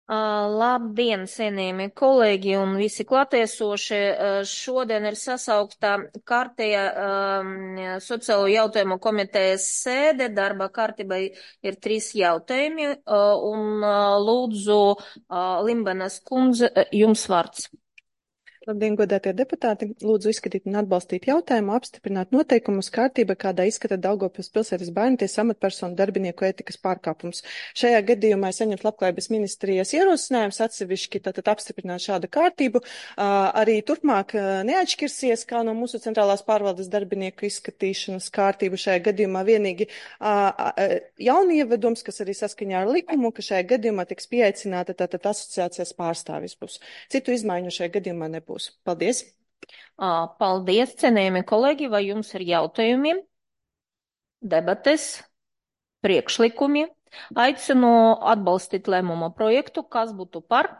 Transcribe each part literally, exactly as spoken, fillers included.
Uh, labdien, cienījamie kolēģi un visi klātiesošie. Uh, šodien ir sasaukta kārtēja um, sociālo jautājumu komitejas sēde. Darba kārtībai ir trīs jautājumi. Uh, un uh, lūdzu, uh, Limbanas kundze, jums vārds. Labdien, godātie deputāti! Lūdzu izskatīt un atbalstīt jautājumu, apstiprināt noteikumus kārtība, kādā izskata Daugavpils pilsētas bērntiesas amatpersonu darbinieku ētikas pārkāpums. Šajā gadījumā ir saņemts Labklājības ministrijas ierosinājums atsevišķi tātad apstiprināt šādu kārtību. Arī turpmāk neatšķirsies, kā no mūsu centrālās pārvaldes darbinieku izskatīšanas kārtību. Šajā gadījumā vienīgi jaunievedums, kas arī saskaņā ar likumu, ka šajā gadījumā tiks pieaicināta tātad asociācijas pārstāvis būs. Citu izmaiņu šajā gadījumā nebūs. Paldies! Paldies, cienījami kolēģi, vai jums ir jautājumi, debates, priekšlikumi? Aicinu atbalstīt lēmuma projektu, kas būtu par?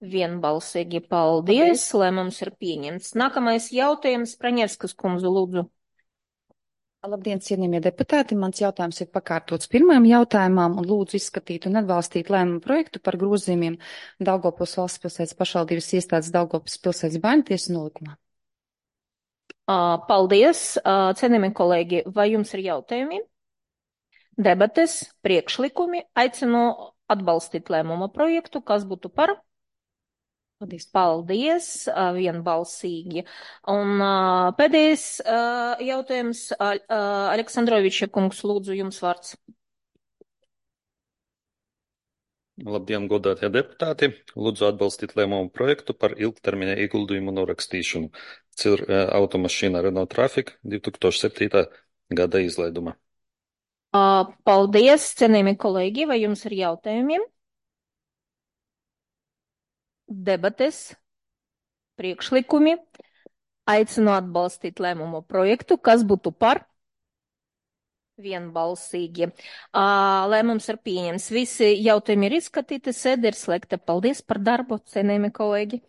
Vienbalsīgi paldies, paldies. Lēmums ir pieņemts. Nākamais jautājums, Praņevskas kundze, lūdzu. Labdien, cienījamie deputāti! Mans jautājums ir pakārtots pirmajam jautājumam un lūdzu izskatīt un atbalstīt lēmumu projektu par grozījumiem Daugavpils valsts pilsētas pašvaldības iestādes Daugavpils pilsētas bērntiesas nolikumā. Paldies, cienījamie kolēģi! Vai jums ir jautājumi? Debates, priekšlikumi? Aicinu atbalstīt lēmuma projektu, kas būtu par? Paldies. Paldies, vienbalsīgi. Un pēdējais jautājums, Aleksandroviča kungs, lūdzu, jums vārds. Labdien, godātie deputāti! Lūdzu atbalstīt lēmumu projektu par ilgtermiņa ieguldījumu norakstīšanu. Cir automašīna Renault Traffic divi tūkstoši septītā gada izlaiduma. Paldies, cienījami kolēģi, vai jums ir jautājumi? Debates, priekšlikumi? Aicinu atbalstīt lēmumu projektu, kas būtu par? Vienbalsīgi. Lēmums ir pieņems. Visi jautājumi ir izskatīti, sēde ir slēgta. Paldies par darbu, cienījami kolēģi!